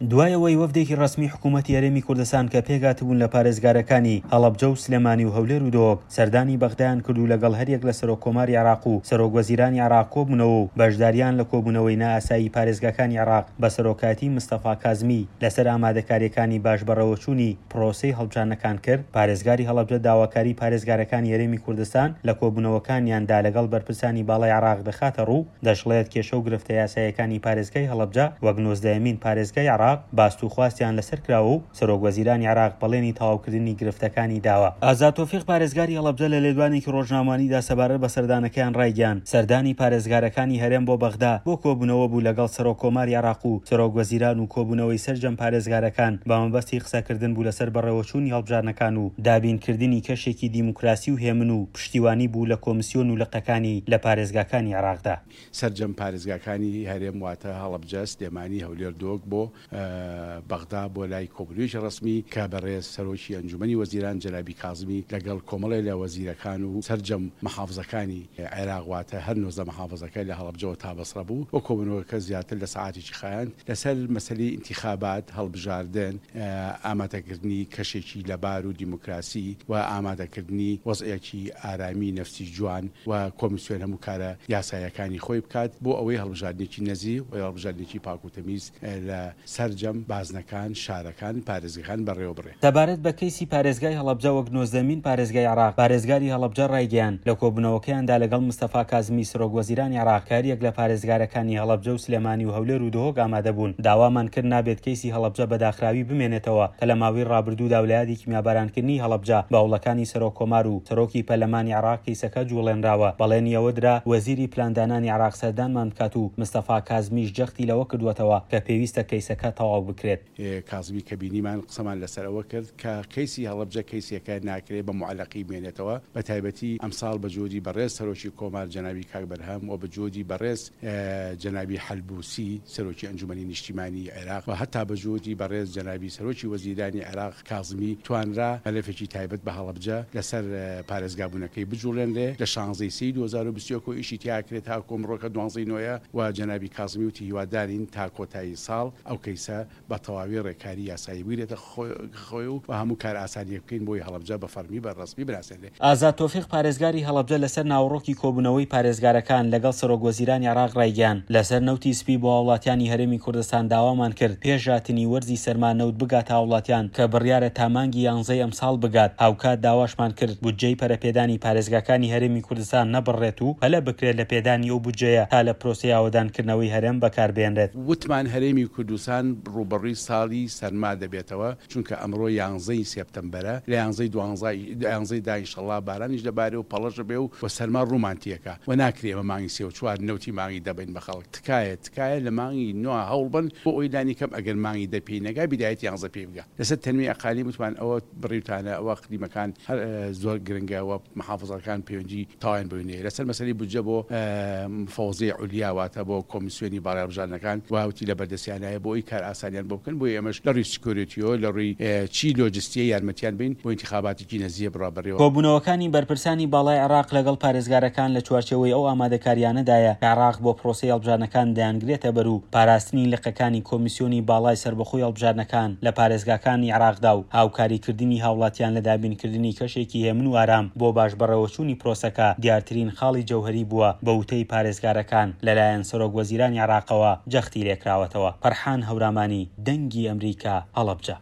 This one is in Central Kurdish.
دوای ئەوەی وەفدێکی ڕەسمی حکوومەتی هەرێمی کوردستان کە پێکهاتبوون لە پارێزگارەکانی هەڵەبجە و سلێمانی و هەولێر و دهۆک سەردانی بەغدایان کرد و لەگەڵ هەریەک لە سەرۆک کۆماری عێراق و سەرۆک وەزیرانی عێراق کۆبوونەوە و بەشداریان لە کۆبوونەوەی نائاسایی پارێزگاکانی عێراق بە سەرۆکایەتی مستەفا کازمی لەسەر ئامادەکارییەکانی باش بەڕێوەچوونی پرۆسەی هەڵبژاردنەکان کرد، پارێزگاری هەڵەبجە داواکاریی پارێزگارەکانی هەرێمی کوردستان لە کۆبوونەوەکانیاندا لەگەڵ بەرپرسانی باڵای عێراق دەخاتەڕوو، دەشڵێت، کێشە و گرفتە یاساییەکانی پارێزگای هەڵەبجە وەک نۆزدەیەمین پارێزگای عێراق باست و خواستیان لەسەر کراوە و سەرۆکوەزیرانی عێراق بەڵێنی تەواوکردنی گرفتەکانی داوە. ئازاد تۆفیق پارێزگاری هەڵەبجە لە لێدوانێکی ڕۆژنامەوانیدا سەبارەت بە سەردانەکەیان ڕایگەیاند، سەردانی پارێزگارەکانی هەرێم بۆ بەغدا بۆ کۆبوونەوە بوو لەگەڵ سەرۆک کۆماری عێراق و سەرۆک وەزیران و کۆبوونەوەی سەرجەم پارێزگارەکان بە مەبەستی قسەکردن بوو لەسەر بەڕێوەچوونی هەڵبژاردنەکان و دابینکردنی کەشێکی دیموکراسی و هێمن و پشتیوانی بوو لە کۆمسیۆن و لقەکانی لە پارێزگاکانی عێراقدا. سەرجەم پارێزگاکانی هەرێم واتە هەڵەبجە، سلێمانی، هەولێر، دهۆک بۆ بەغدا بۆ لای کۆبوونەوەیەکی ڕەسمی کە بەڕێز سەرۆکی ئەنجومەنی وەزیران جەنابی کازمی لەگەڵ کۆمەڵێ لە وەزیرەکان و سەرجەم محافزەکانی عێراق واتە هەر 19 محافزەکە لە هەڵەبجەوە تا بەسڕە بوو و کۆبوونەوەکە زیاتر لە سەعاتێکی خایاند لەسەر مەسەلەی ئینتیخابات، هەڵبژاردن، ئامادەکردنی کەشێکی لەبار و دیموکراسی و ئامادەکردنی وەزعێکی ئارامی نەفسی جوان و کۆمیسیۆن هەموو کارە یاساییەکانی خۆی بکات بۆ ئەوەی هەڵبژاردنێکی نەزیه و هەڵبژاردنێکی پاک و تەمیز لە سەرجەم بازنەکان، شارەکان، پارێزگەکان بەڕێوەبرێ. سەبارەت بە کەیسی پارێزگای هەڵەبجە وەک نۆزدەمین پارێزگای عێراق، پارێزگاری هەڵەبجە ڕایگەیاند، لە کۆبوونەوەکەیاندا لەگەڵ مستەفا کازمی سەرۆک وەزیرانی عێراق کە هەریەک لە پارێزگارەکانی هەڵەبجە و سلێمانی و هەولێر و دهۆک ئامادەبوون، داوامان کرد نابێت کەیسی هەڵەبجە بە داخراوی بمێنێتەوە کە لە ماوەی ڕابردوودا و لە یادی کیمیابارانکردنی هەڵەبجە بە هەوڵەکانی سەرۆک کۆمار و سەرۆکی پەرلەمانی عێراق کەیسەکە جوڵێنراوە، بەڵێنی ئەوە درا وەزیری پلاندانانی عێراق سەردانمان بکات و مستەفا کازمیش جەختی لەوە کردووەتەوە کە پێویستە کەیسەکە تەواو بکرێت. کازمی کە بینیمان قسەمان لەسەر ئەوە کرد کە کەیسی هەڵەبجە کەیسێکە ناکرێ بە موعەلەقی بمێنێتەوە بە تایبەتی ئەمساڵ بە جۆری بەڕێز سەرۆکی کۆمار جەنابی کاک بەرهەم و بە جۆری بەڕێز جەنابی حەلبوسی سەرۆکی ئەنجومەنی نیشتیمانی عێراق و هەتا بە جۆری بەڕێز جەنابی سەرۆکی وەزیرانی عێراق کازمی توانرا مەلەفێکی تایبەت بە هەڵەبجە لەسەر پارێزگابوونەکەی بجوڵێنرێ لە شانزەی سێی 2021 و ئیشی تیا کرێ تاکو ئەمڕۆ کە دوانزەی نۆیە و جەنابی کازمی وتی هیوادارین تا کۆتایی ساڵ ئەو کەیسە بە تەواوی ڕێکاری یاسایی بگرێتە خۆی و هەموو کارئاسانییەک بکەین بۆی هەڵەبجە بە فەڕمی بە ڕەسمی بناسێنرێ. ئازاد تۆفیق پارێزگاری هەڵەبجە لەسەر ناوەڕۆکی کۆبوونەوەی پارێزگارەکان لەگەڵ سەرۆک وەزیرانی عێراق ڕایگەیاند، لەسەر نەوتی سپی بۆ هاوڵاتیانی هەرێمی کوردستان داوامان کرد پێش هاتنی وەرزی سەرما نەوت بگاتە هاوڵاتیان کە بڕیارە تا مانگی یانزەی ئەمساڵ بگات، هاوکات داواشمان کرد بودجەی پەرەپێدانی پارێزگاکانی هەرێمی کوردستان نەبڕرێت و پەلە بکرێت لە پێدانی ئەو بودجەیە تا لە پرۆسەی ئاوەدانکردنەوەی هەرێم بەکاربهێنرێت. وتمان هەرێمی کوردستان ڕووبەڕووی ساڵی سەرما دەبێتەوە، چونکە ئەمڕۆ یانزەی سێپتەمبەرە، لە یانزەی دوانزە یانزەی دا ئینشەڵا بارانیش دەبارێ و پەڵەش دەبێ و و سەرما ڕوومان تێکا و ناکرێ ئێمە مانگی سێ و چوار نەوتی مانگی دە بەین بە خەڵک. تکایە تکایە لە مانگی نۆ هەوڵ بەن بۆ ئەوەی لانی کەم ئەگەر مانگی دە پێی نەگا بیدایەتی یانزە پێی بگا. لەسەر تەنمیە ئەقالیم وتمان ئەوە بڕیوتانە ئەوە ئەقلیمەکان هەر زۆر گرنگە و محافزەکان پەیوەندی تەواویان بەوی نیە. لەسەر مەسەلەی بودجە بۆ مفەوەزیەی عولیا واتە بۆ کۆمیسیۆنی باڵای هەڵبژاردنەکان وتی لە بەردەستیانایە بۆ ئەوی کار ئاسانیان بۆ بکەن بۆیە ئێمەش لە ڕووی سکیۆریتیەوە لە ڕووی چی لۆجستیە یارمەتیان بەین بۆ ئینتیخاباتێکی نەزیە بڕا بەڕێوە. کۆبوونەوەکانی بەرپرسانی باڵای عێراق لەگەڵ پارێزگارەکان لە چوارچێوەی ئەو ئامادەکارییانەدایە کە عێراق بۆ پرۆسەی هەڵبژاردنەکان دەیانگرێتە بەر و پاراستنی لقەکانی کۆمیسیۆنی باڵای سەربەخۆی هەڵبژاردنەکان لە پارێزگاکانی عێراقدا و هاوکاریکردنی هاوڵاتیان لە دابینکردنی کەشێکی هێمن و ئارام بۆ باش بەڕێوەچوونی پرۆسەکە دیارترین خاڵی جەوهەری بووە بە وتەی پارێزگارەکان لەلایەن سەرۆک وەزیرانی عێراقەوە جەختی لێکراوەتەوە. فەرحان هەورامانی، دەنگی ئەمریکا، هەڵەبجە.